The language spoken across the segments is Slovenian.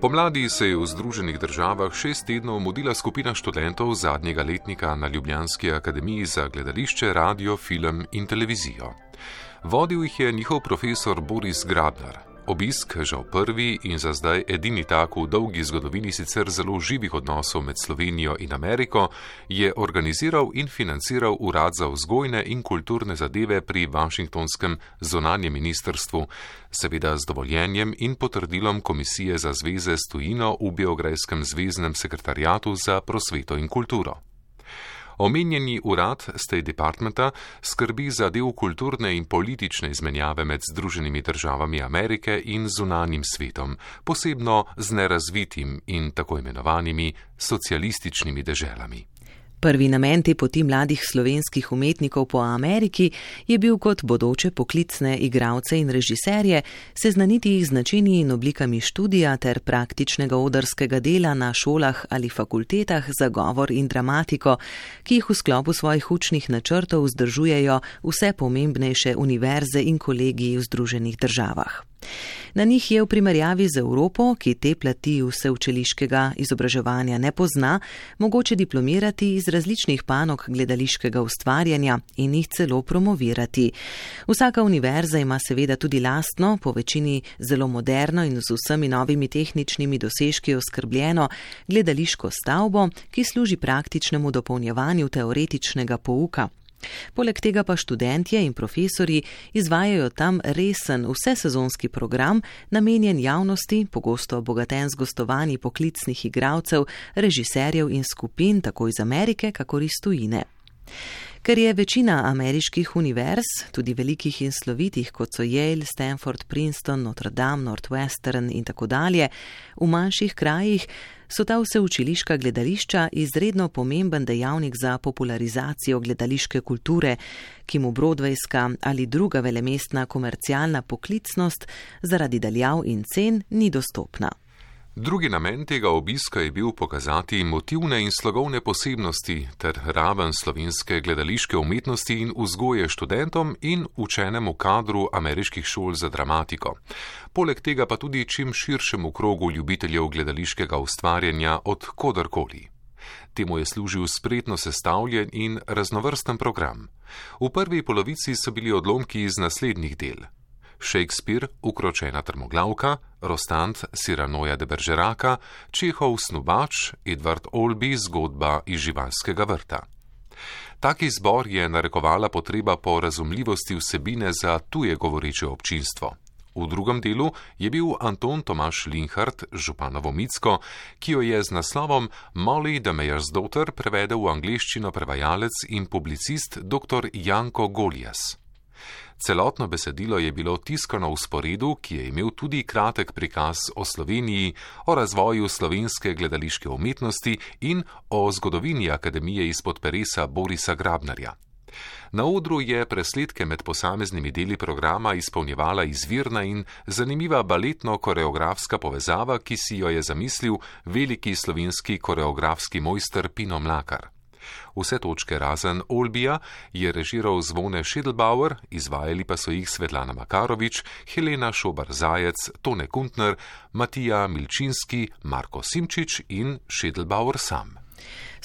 Pomladi se je v Združenih državah 6 tednov mudila skupina študentov zadnjega letnika na Ljubljanski akademiji za gledališče, radio, film in televizijo. Vodil jih je njihov profesor Boris Grabnar. Obisk, žal prvi in za zdaj edini tak v dolgi zgodovini sicer zelo živih odnosov med Slovenijo in Ameriko, je organiziral in financiral Urad za vzgojne in kulturne zadeve pri Washingtonskem zunanjem ministrstvu, seveda z dovoljenjem in potrdilom Komisije za zveze s tujino v Beograjskem zveznem sekretariatu za prosveto in kulturo. Omenjeni urad State Departmenta skrbi za del kulturne in politične izmenjave med Združenimi državami Amerike in zunanjim svetom, posebno z nerazvitim in tako imenovanimi socialističnimi deželami. Prvi namen te poti mladih slovenskih umetnikov po Ameriki je bil kot bodoče poklicne igralce in režiserje seznaniti jih z načini in oblikami študija ter praktičnega odrskega dela na šolah ali fakultetah za govor in dramatiko, ki jih v sklopu svojih učnih načrtov vzdržujejo vse pomembnejše univerze in kolegiji v Združenih državah. Na njih je v primerjavi z Evropo, ki te plati vseučiliškega izobraževanja ne pozna, mogoče diplomirati iz različnih panog gledališkega ustvarjanja in jih celo promovirati. Vsaka univerza ima seveda tudi lastno, po večini zelo moderno in z vsemi novimi tehničnimi dosežki oskrbljeno gledališko stavbo, ki služi praktičnemu dopolnjevanju teoretičnega pouka. Poleg tega pa študentje in profesorji izvajajo tam resen vsesezonski program, namenjen javnosti, pogosto obogaten z gostovanji poklicnih igralcev, režiserjev in skupin, tako iz Amerike, kakor iz tujine. Ker je večina ameriških univerz, tudi velikih in slovitih, kot so Yale, Stanford, Princeton, Notre Dame, Northwestern in tako dalje, v manjših krajih, so ta vseučiliška gledališča izredno pomemben dejavnik za popularizacijo gledališke kulture, ki mu broadwayska ali druga velemestna komercialna poklicnost zaradi daljav in cen ni dostopna. Drugi namen tega obiska je bil pokazati motivne in slogovne posebnosti ter raven slovenske gledališke umetnosti in vzgoje študentom in učenemu kadru ameriških šol za dramatiko. Poleg tega pa tudi čim širšemu krogu ljubiteljev gledališkega ustvarjanja od kodarkoli. Temu je služil spretno sestavljen in raznovrsten program. V prvi polovici so bili odlomki iz naslednjih del: Shakespeare, Ukročena trmoglavka, Rostand, Cyranoja de Bergeraka, Čehov Snubač, Edward Albee, Zgodba iz živalskega vrta. Taki izbor je narekovala potreba po razumljivosti vsebine za tuje govoreče občinstvo. V drugem delu je bil Anton Tomaž Linhart, županovo Micko, ki jo je z naslovom Molly the Mayor's Daughter prevedel v angleščino prevajalec in publicist dr. Janko Golijas. Celotno besedilo je bilo tiskano v sporedu, ki je imel tudi kratek prikaz o Sloveniji, o razvoju slovenske gledališke umetnosti in o zgodovini akademije izpod peresa Borisa Grabnarja. Na odru je presledke med posameznimi deli programa izpolnjevala izvirna in zanimiva baletno-koreografska povezava, ki si jo je zamislil veliki slovenski koreografski mojster Pino Mlakar. Vse točke razen Olbija je režiral Zvone Schädelbauer, izvajali pa so jih Svetlana Makarovič, Helena Šobar-Zajec, Tone Kuntner, Matija Milčinski, Marko Simčič in Schädelbauer sam.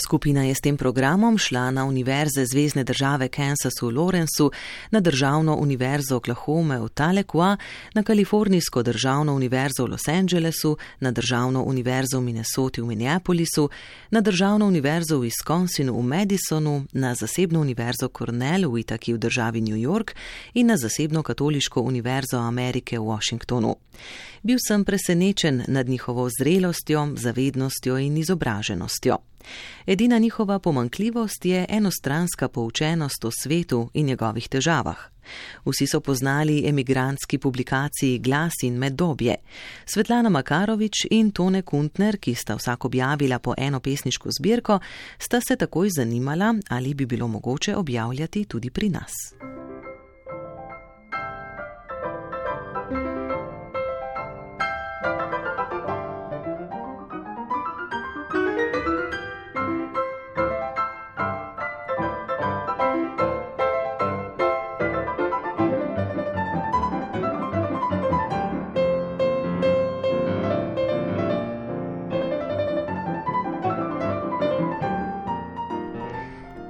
Skupina je s tem programom šla na univerze zvezne države Kansas v Lawrenceu, na državno univerzo Oklahome v Tahlequah, na kalifornijsko državno univerzo v Los Angelesu, na državno univerzo v Minnesoti v Minneapolisu, na državno univerzo v Wisconsinu v Madisonu, na zasebno univerzo Cornell v Itaki v državi New York in na zasebno katoliško univerzo Amerike v Washingtonu. Bil sem presenečen nad njihovo zrelostjo, zavednostjo in izobraženostjo. Edina njihova pomanjkljivost je enostranska poučenost o svetu in njegovih težavah. Vsi so poznali emigrantski publikaciji Glas in Meddobje. Svetlana Makarovič in Tone Kuntner, ki sta vsak objavila po eno pesniško zbirko, sta se takoj zanimala, ali bi bilo mogoče objavljati tudi pri nas.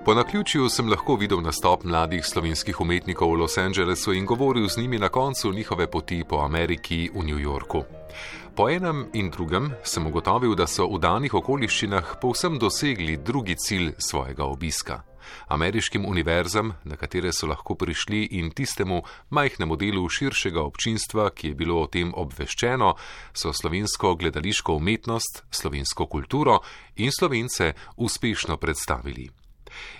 Po naključju sem lahko videl nastop mladih slovenskih umetnikov v Los Angelesu in govoril z njimi na koncu njihove poti po Ameriki v New Yorku. Po enem in drugem sem ugotovil, da so v danih okoliščinah povsem dosegli drugi cilj svojega obiska. Ameriškim univerzam, na katere so lahko prišli, in tistemu majhnemu delu širšega občinstva, ki je bilo o tem obveščeno, so slovensko gledališko umetnost, slovensko kulturo in Slovence uspešno predstavili.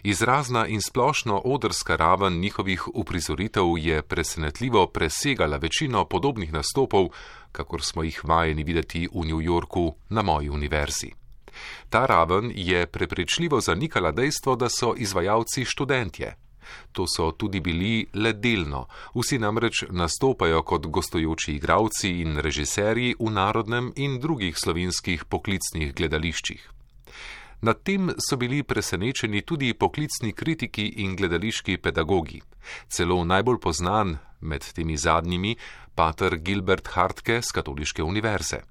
Izrazna in splošno odrska raven njihovih uprizoritev je presenetljivo presegala večino podobnih nastopov, kakor smo jih vajeni videti v New Yorku na moji univerzi. Ta raven je prepričljivo zanikala dejstvo, da so izvajalci študentje. To so tudi bili le delno, vsi namreč nastopajo kot gostujoči igralci in režiserji v narodnem in drugih slovenskih poklicnih gledališčih. Nad tem so bili presenečeni tudi poklicni kritiki in gledališki pedagogi. Celo najbolj poznan med temi zadnjimi, pater Gilbert Hartke z Katoliške univerze.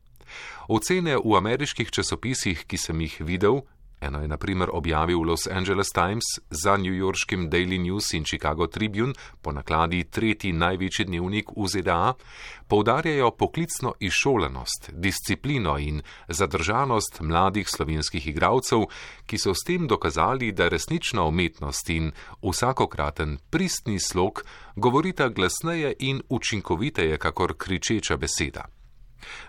Ocene v ameriških časopisih, ki sem jih videl, eno je na primer objavil Los Angeles Times za newyorškim Daily News in Chicago Tribune, po nakladi tretji največji dnevnik v ZDA, poudarjajo poklicno izšolanost, disciplino in zadržanost mladih slovenskih igralcev, ki so s tem dokazali, da resnična umetnost in vsakokraten pristni slog govorita glasneje in učinkoviteje kakor kričeča beseda.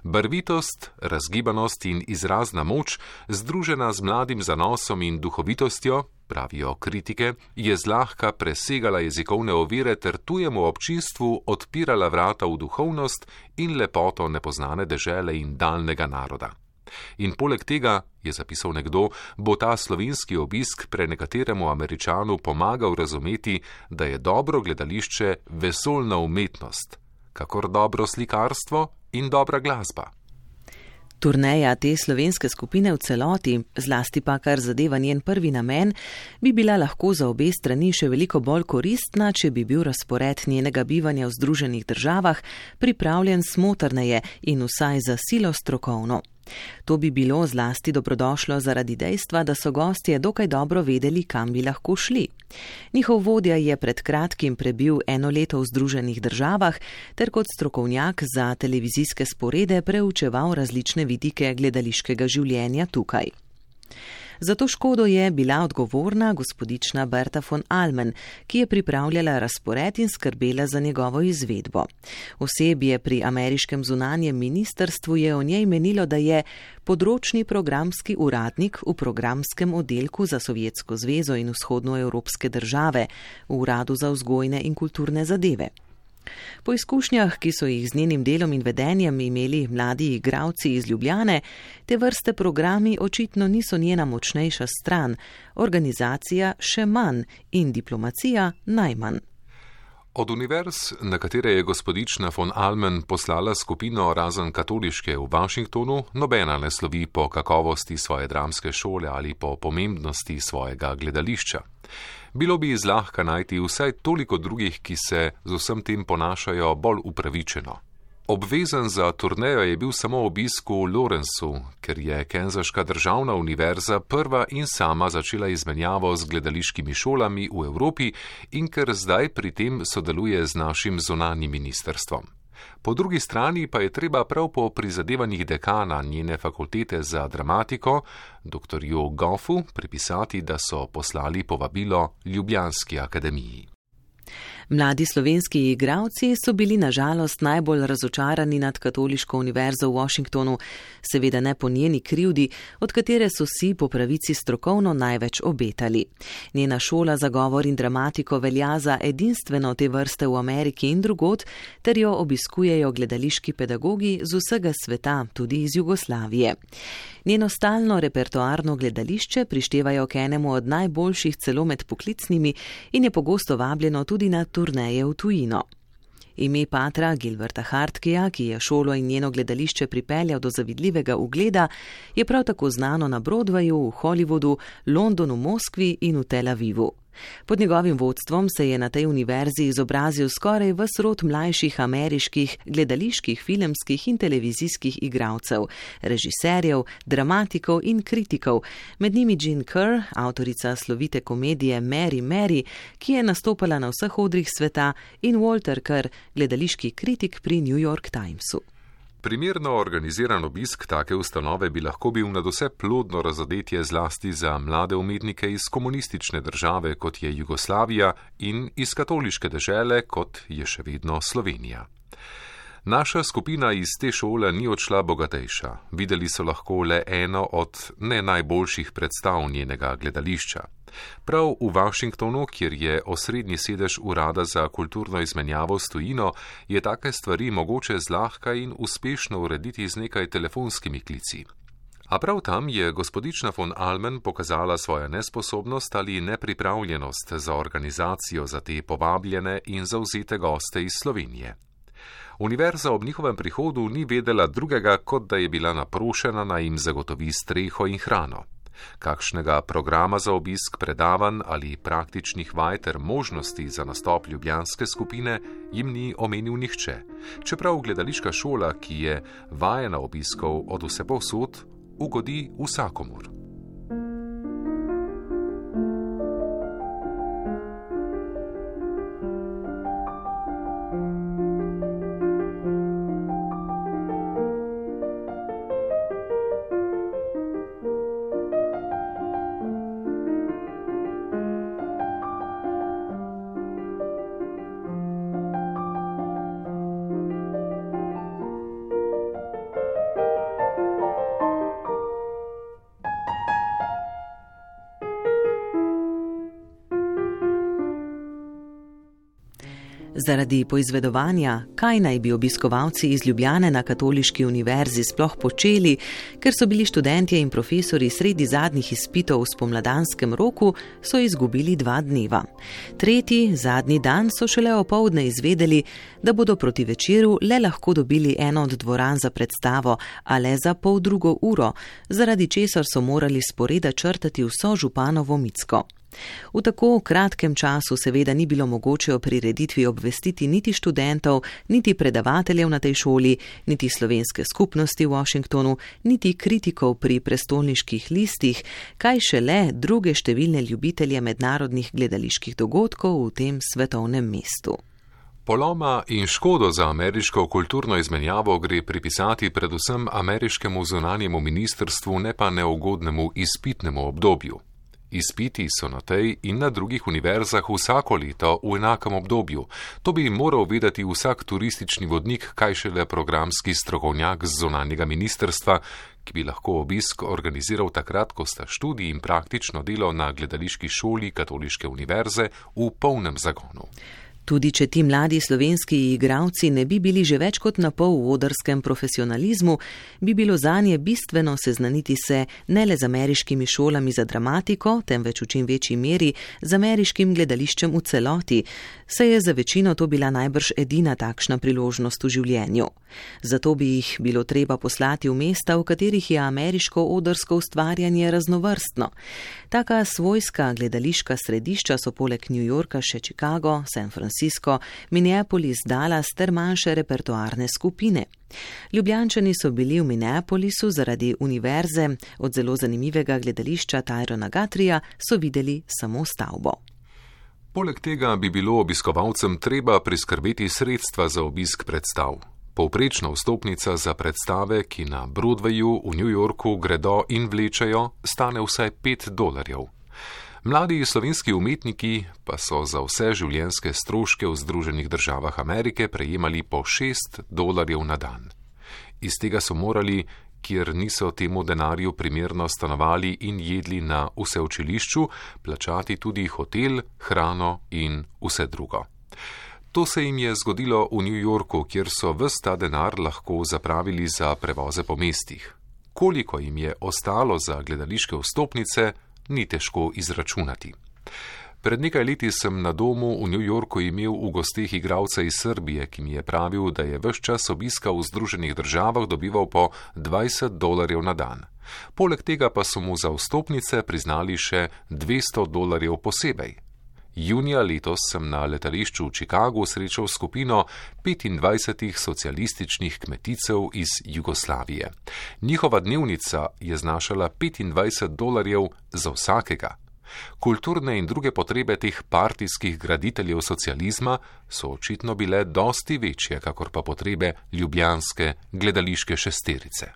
Barvitost, razgibanost in izrazna moč, združena z mladim zanosom in duhovitostjo, pravijo kritike, je zlahka presegala jezikovne ovire ter tujemu občinstvu odpirala vrata v duhovnost in lepoto nepoznane dežele in daljnega naroda. In poleg tega, je zapisal nekdo, bo ta slovenski obisk prenekateremu Američanu pomagal razumeti, da je dobro gledališče vesoljna umetnost, kakor dobro slikarstvo in dobra glasba. Turneja te slovenske skupine v celoti, zlasti pa kar zadeva njen prvi namen, bi bila lahko za obe strani še veliko bolj koristna, če bi bil razpored njenega bivanja v Združenih državah pripravljen smotrneje in vsaj za silo strokovno. To bi bilo zlasti dobrodošlo zaradi dejstva, da so gostje dokaj dobro vedeli, kam bi lahko šli. Njihov vodja je pred kratkim prebil 1 leto v Združenih državah ter kot strokovnjak za televizijske sporede preučeval različne vidike gledališkega življenja tukaj. Za to škodo je bila odgovorna gospodična Berta von Almen, ki je pripravljala razpored in skrbela za njegovo izvedbo. Osebje pri ameriškem zunanjem ministrstvu je o njej menilo, da je področni programski uradnik v programskem oddelku za Sovjetsko zvezo in vzhodnoevropske države v Uradu za vzgojne in kulturne zadeve. Po izkušnjah, ki so jih z njenim delom in vedenjem imeli mladi igralci iz Ljubljane, te vrste programi očitno niso njena močnejša stran, organizacija še manj in diplomacija najmanj. Od univerz, na katere je gospodična von Almen poslala skupino razen katoliške v Washingtonu, nobena ne slovi po kakovosti svoje dramske šole ali po pomembnosti svojega gledališča. Bilo bi zlahka najti vsaj toliko drugih, ki se z vsem tem ponašajo bolj upravičeno. Obvezen za turnejo je bil samo obisk v Lawrenceu, ker je Kansaška državna univerza prva in sama začela izmenjavo z gledališkimi šolami v Evropi in ker zdaj pri tem sodeluje z našim zunanjim ministrstvom. Po drugi strani pa je treba prav po prizadevanjih dekana njene fakultete za dramatiko, dr. Jo Goffu, pripisati, da so poslali povabilo Ljubljanski akademiji. Mladi slovenski igralci so bili na žalost najbolj razočarani nad Katoliško univerzo v Washingtonu, seveda ne po njeni krivdi, od katere so si po pravici strokovno največ obetali. Njena šola za govor in dramatiko velja za edinstveno te vrste v Ameriki in drugod, ter jo obiskujejo gledališki pedagogi z vsega sveta, tudi iz Jugoslavije. Njeno stalno repertoarno gledališče prištevajo k enemu od najboljših celo med poklicnimi in je pogosto vabljeno tudi na turneje v tujino. Ime patra Gilberta Hartkeja, ki je šolo in njeno gledališče pripeljal do zavidljivega ugleda, je prav tako znano na Broadwayu, v Hollywoodu, Londonu, Moskvi in v Tel Avivu. Pod njegovim vodstvom se je na tej univerzi izobrazil skoraj ves rod mlajših ameriških gledaliških, filmskih in televizijskih igralcev, režiserjev, dramatikov in kritikov, med njimi Jean Kerr, avtorica slovite komedije Mary Mary, ki je nastopala na vseh odrih sveta, in Walter Kerr, gledališki kritik pri New York Timesu. Primerno organiziran obisk take ustanove bi lahko bil nadvse plodno razodetje zlasti za mlade umetnike iz komunistične države, kot je Jugoslavija, in iz katoliške dežele, kot je še vedno Slovenija. Naša skupina iz te šole ni odšla bogatejša. Videli so lahko le eno od ne najboljših predstav njenega gledališča. Prav v Washingtonu, kjer je osrednji sedež urada za kulturno izmenjavo s tujino, je take stvari mogoče zlahka in uspešno urediti z nekaj telefonskimi klici. A prav tam je gospodična von Almen pokazala svojo nesposobnost ali nepripravljenost za organizacijo za te povabljene in zavzete goste iz Slovenije. Univerza ob njihovem prihodu ni vedela drugega, kot da je bila naprošena, naj jim zagotovi streho in hrano. Kakšnega programa za obisk, predavanj ali praktičnih vaj ter možnosti za nastop ljubljanske skupine jim ni omenil nihče, čeprav gledališka šola, ki je vajena obiskov od vsepovsod, ugodi vsakomur. Zaradi poizvedovanja, kaj naj bi obiskovalci iz Ljubljane na Katoliški univerzi sploh počeli, ker so bili študentje in profesori sredi zadnjih izpitov v spomladanskem roku, so izgubili 2 dneva. Tretji, zadnji dan so šele opoldne izvedeli, da bodo proti večeru le lahko dobili eno od dvoran za predstavo, a le za 1,5 ure, zaradi česar so morali sporeda črtati vso županovo Micko. V tako kratkem času seveda ni bilo mogoče o prireditvi obvestiti niti študentov, niti predavateljev na tej šoli, niti slovenske skupnosti v Washingtonu, niti kritikov pri prestolniških listih, kaj šele druge številne ljubitelje mednarodnih gledaliških dogodkov v tem svetovnem mestu. Poloma in škodo za ameriško kulturno izmenjavo gre pripisati predvsem ameriškemu zunanjemu ministrstvu, ne pa neugodnemu izpitnemu obdobju. Izpiti so na tej in na drugih univerzah vsako leto v enakem obdobju. To bi moral vedeti vsak turistični vodnik, kaj šele programski strokovnjak z zunanjega ministrstva, ki bi lahko obisk organiziral takrat, ko sta študij in praktično delo na gledališki šoli Katoliške univerze v polnem zagonu. Tudi če ti mladi slovenski igralci ne bi bili že več kot na pol v odrskem profesionalizmu, bi bilo zanje bistveno seznaniti se ne le z ameriškimi šolami za dramatiko, temveč v čim večji meri z ameriškim gledališčem v celoti, saj je za večino to bila najbrž edina takšna priložnost v življenju. Zato bi jih bilo treba poslati v mesta, v katerih je ameriško odrsko ustvarjanje raznovrstno. Taka svojska gledališka središča so poleg New Yorka še Chicago, San Francisco, Minneapolis, Dallas ter manjše repertoarne skupine. Ljubljančani so bili v Minneapolisu zaradi univerze, od zelo zanimivega gledališča Tyrona Guthrieja so videli samo stavbo. Poleg tega bi bilo obiskovalcem treba priskrbeti sredstva za obisk predstav. Povprečna vstopnica za predstave, ki na Broadwayu v New Yorku gredo in vlečejo, stane vsaj $5. Mladi slovenski umetniki pa so za vse življenjske stroške v Združenih državah Amerike prejemali po $6 na dan. Iz tega so morali, kjer niso temu denarju primerno stanovali in jedli na vseučilišču, plačati tudi hotel, hrano in vse drugo. To se jim je zgodilo v New Yorku, kjer so ves ta denar lahko zapravili za prevoze po mestih. Koliko jim je ostalo za gledališke vstopnice, ni težko izračunati. Pred nekaj leti sem na domu v New Yorku imel v gosteh igralca iz Srbije, ki mi je pravil, da je ves čas obiska v Združenih državah dobival po $20 na dan. Poleg tega pa so mu za vstopnice priznali še $200 posebej. Junija letos sem na letališču v Chicagu srečal skupino 25 socialističnih kmeticev iz Jugoslavije. Njihova dnevnica je znašala $25 za vsakega. Kulturne in druge potrebe teh partijskih graditeljev socializma so očitno bile dosti večje, kakor pa potrebe ljubljanske gledališke šesterice.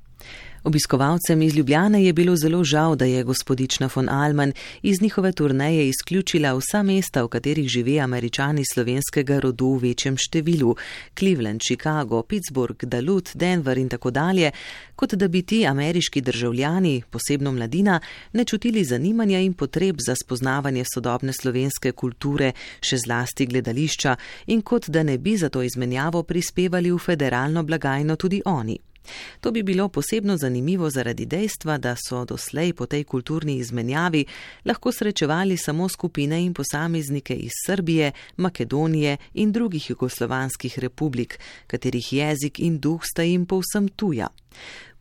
Obiskovalcem iz Ljubljane je bilo zelo žal, da je gospodična von Allmann iz njihove turneje izključila vsa mesta, v katerih žive Američani slovenskega rodu v večjem številu, Cleveland, Chicago, Pittsburgh, Duluth, Denver in tako dalje, kot da bi ti ameriški državljani, posebno mladina, ne čutili zanimanja in potreb za spoznavanje sodobne slovenske kulture, še zlasti gledališča, in kot da ne bi za to izmenjavo prispevali v federalno blagajno tudi oni. To bi bilo posebno zanimivo zaradi dejstva, da so doslej po tej kulturni izmenjavi lahko srečevali samo skupine in posameznike iz Srbije, Makedonije in drugih jugoslovanskih republik, katerih jezik in duh sta jim povsem tuja.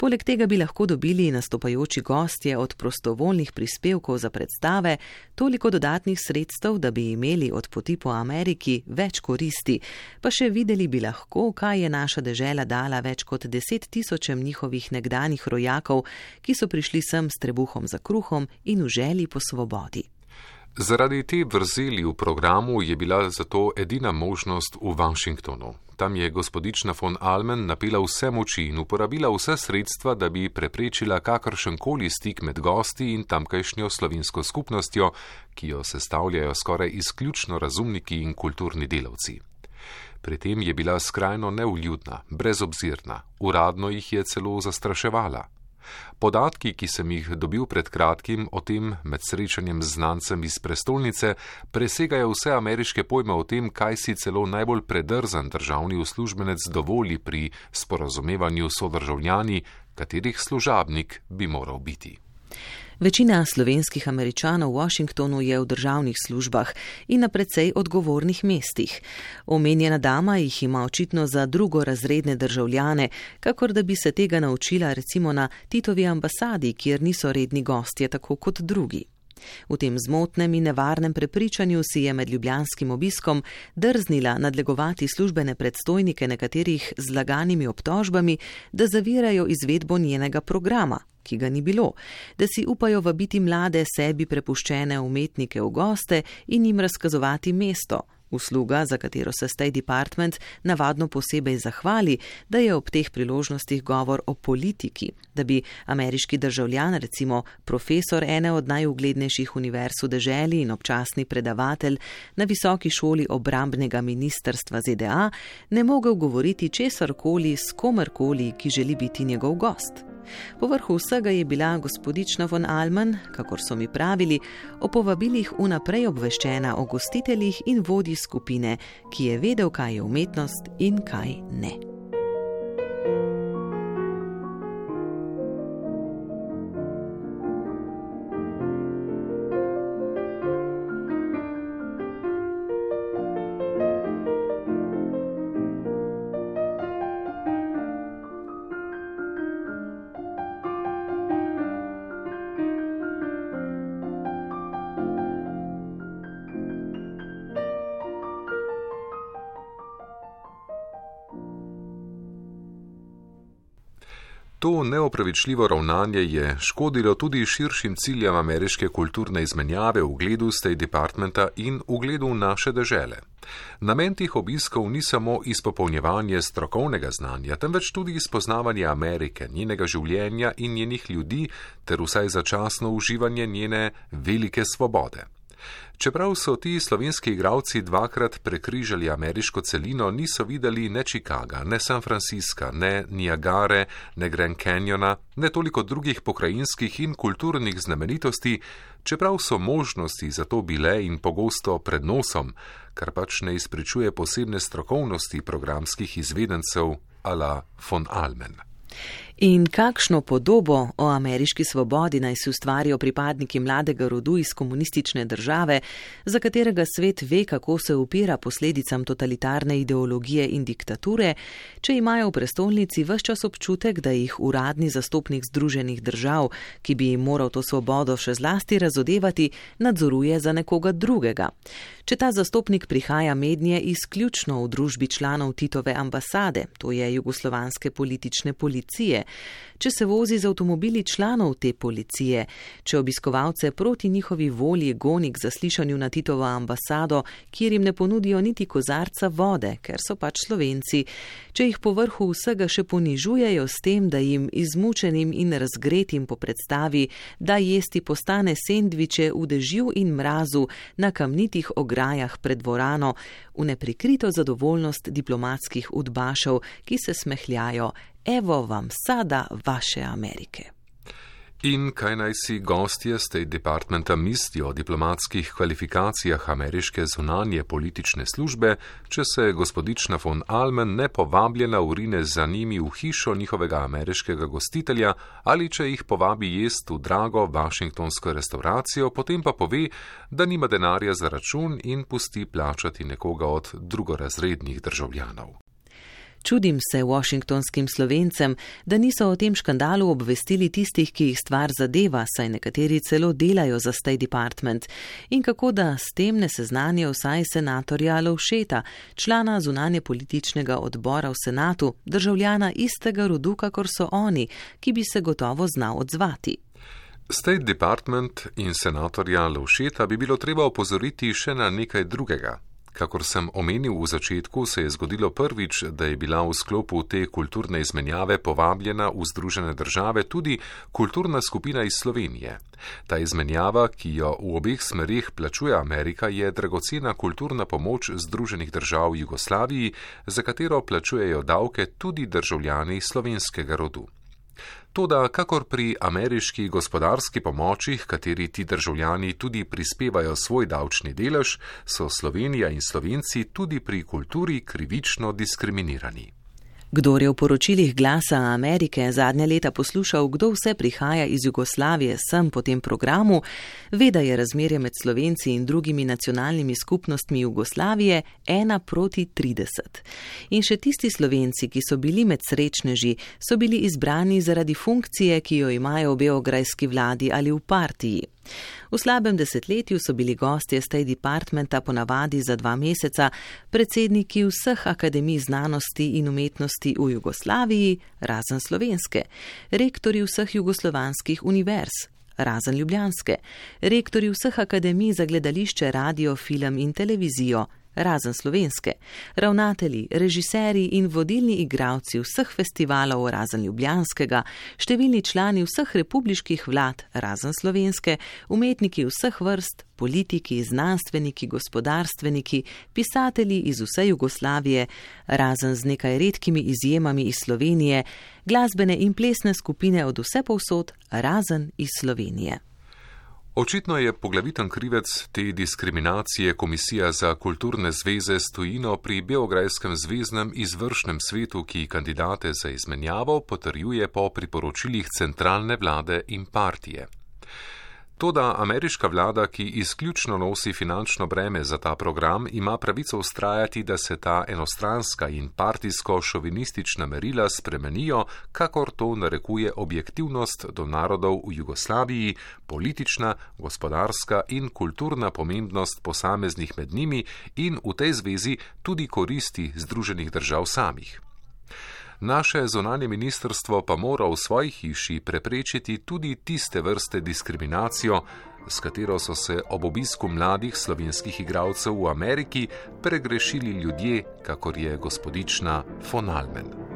Poleg tega bi lahko dobili nastopajoči gostje od prostovoljnih prispevkov za predstave toliko dodatnih sredstev, da bi imeli od poti po Ameriki več koristi, pa še videli bi lahko, kaj je naša dežela dala več kot 10 000 njihovih nekdanjih rojakov, ki so prišli sem s trebuhom za kruhom in v želji po svobodi. Zaradi te vrzeli v programu je bila zato edina možnost v Washingtonu. Tam je gospodična von Allmann napila vse moči in uporabila vse sredstva, da bi preprečila kakršenkoli stik med gosti in tamkajšnjo slovensko skupnostjo, ki jo sestavljajo skoraj izključno razumniki in kulturni delavci. Pri tem je bila skrajno neuljudna, brezobzirna, uradno jih je celo zastraševala. Podatki, ki sem jih dobil pred kratkim o tem med srečanjem z znancem iz prestolnice, presegajo vse ameriške pojme o tem, kaj si celo najbolj predrzan državni uslužbenec dovoli pri sporazumevanju s sodržavljani, katerih služabnik bi moral biti. Večina slovenskih Američanov v Washingtonu je v državnih službah in na precej odgovornih mestih. Omenjena dama jih ima očitno za drugorazredne državljane, kakor da bi se tega naučila recimo na Titovi ambasadi, kjer niso redni gostje tako kot drugi. V tem zmotnem in nevarnem prepričanju si je med ljubljanskim obiskom drznila nadlegovati službene predstojnike nekaterih z laganimi obtožbami, da zavirajo izvedbo njenega programa, ki ga ni bilo, da si upajo vabiti mlade sebi prepuščene umetnike v goste in jim razkazovati mesto, usluga, za katero se State Department navadno posebej zahvali, da je ob teh priložnostih govor o politiki, da bi ameriški državljan, recimo profesor ene od najuglednejših univerz v deželi in občasni predavatelj na visoki šoli obrambnega ministrstva ZDA, ne mogel govoriti česarkoli s komerkoli, ki želi biti njegov gost. Povrhu vsega je bila gospodična von Allmann, kakor so mi pravili, o povabilih vnaprej obveščena o gostiteljih in vodji skupine, ki je vedel, kaj je umetnost in kaj ne. To neopravičljivo ravnanje je škodilo tudi širšim ciljem ameriške kulturne izmenjave v ugledu State Departmenta in v ugledu naše dežele. Namen teh obiskov ni samo izpopolnjevanje strokovnega znanja, temveč tudi spoznavanje Amerike, njenega življenja in njenih ljudi ter vsaj začasno uživanje njene velike svobode. Čeprav so ti slovenski igralci dvakrat prekrižali ameriško celino, niso videli ne Chicaga, ne San Francisca, ne Niagare, ne Grand Canyona, ne toliko drugih pokrajinskih in kulturnih znamenitosti, čeprav so možnosti za to bile in pogosto pred nosom, kar pač ne izpričuje posebne strokovnosti programskih izvedencev a la von Allmann. In kakšno podobo o ameriški svobodi naj si ustvarijo pripadniki mladega rodu iz komunistične države, za katerega svet ve, kako se upira posledicam totalitarne ideologije in diktature, če imajo v prestolnici ves čas občutek, da jih uradni zastopnik Združenih držav, ki bi jim moral to svobodo še zlasti razodevati, nadzoruje za nekoga drugega. Če ta zastopnik prihaja mednje izključno v družbi članov Titove ambasade, to je jugoslovanske politične policije, če se vozi z avtomobili članov te policije, če obiskovalce proti njihovi volji goni k zaslišanju na Titovo ambasado, kjer jim ne ponudijo niti kozarca vode, ker so pač Slovenci, če jih po vrhu vsega še ponižujejo s tem, da jim izmučenim in razgretim po predstavi, da jesti postane sendviče v dežju in mrazu na kamnitih ograjah pred dvorano, v neprikrito zadovoljnost diplomatskih udbašev, ki se smehljajo: evo vam sada vaše Amerike. In kaj naj si gostje State Departmenta mislijo o diplomatskih kvalifikacijah ameriške zunanje politične službe, če se gospodična von Almen nepovabljena urine za njimi v hišo njihovega ameriškega gostitelja ali če jih povabi jest v drago washingtonsko restauracijo, potem pa pove, da nima denarja za račun in pusti plačati nekoga od drugorazrednih državljanov. Čudim se washingtonskim Slovencem, da niso o tem škandalu obvestili tistih, ki jih stvar zadeva, saj nekateri celo delajo za State Department, in kako da s tem ne seznanijo vsaj senatorja Lovšeta, člana zunanje političnega odbora v senatu, državljana istega rodu, kakor so oni, ki bi se gotovo znal odzvati. State Department in senatorja Lovšeta bi bilo treba opozoriti še na nekaj drugega. Kakor sem omenil v začetku, se je zgodilo prvič, da je bila v sklopu te kulturne izmenjave povabljena v Združene države tudi kulturna skupina iz Slovenije. Ta izmenjava, ki jo v obeh smerih plačuje Amerika, je dragocena kulturna pomoč Združenih držav Jugoslaviji, za katero plačujejo davke tudi državljani slovenskega rodu. Toda, kakor pri ameriški gospodarski pomoči, kateri ti državljani tudi prispevajo svoj davčni delež, so Slovenija in Slovenci tudi pri kulturi krivično diskriminirani. Kdor je v poročilih Glasa Amerike zadnja leta poslušal, kdo vse prihaja iz Jugoslavije sem po tem programu, ve, da je razmerje med Slovenci in drugimi nacionalnimi skupnostmi Jugoslavije 1:30. In še tisti Slovenci, ki so bili med srečneži, so bili izbrani zaradi funkcije, ki jo imajo v beograjski vladi ali v partiji. V slabem desetletju so bili gostje State Departmenta ponavadi za 2 meseca predsedniki vseh akademij znanosti in umetnosti v Jugoslaviji, razen slovenske, rektorji vseh jugoslovanskih univerz, razen ljubljanske, rektorji vseh akademij za gledališče, radio, film in televizijo, razen slovenske, ravnatelji, režiserji in vodilni igralci vseh festivalov, razen ljubljanskega, številni člani vseh republiških vlad, razen slovenske, umetniki vseh vrst, politiki, znanstveniki, gospodarstveniki, pisatelji iz vse Jugoslavije, razen z nekaj redkimi izjemami iz Slovenije, glasbene in plesne skupine od vse povsod, razen iz Slovenije. Očitno je poglaviten krivec te diskriminacije Komisija za kulturne zveze s tujino pri Beograjskem zveznem izvršnem svetu, ki kandidate za izmenjavo potrjuje po priporočilih centralne vlade in partije. Toda ameriška vlada, ki izključno nosi finančno breme za ta program, ima pravico vztrajati, da se ta enostranska in partijsko-šovinistična merila spremenijo, kakor to narekuje objektivnost do narodov v Jugoslaviji, politična, gospodarska in kulturna pomembnost posameznih med njimi in v tej zvezi tudi koristi Združenih držav samih. Naše zunanje ministrstvo pa mora v svoji hiši preprečiti tudi tiste vrste diskriminacijo, s katero so se ob obisku mladih slovenskih igralcev v Ameriki pregrešili ljudje, kakor je gospodična von Almen.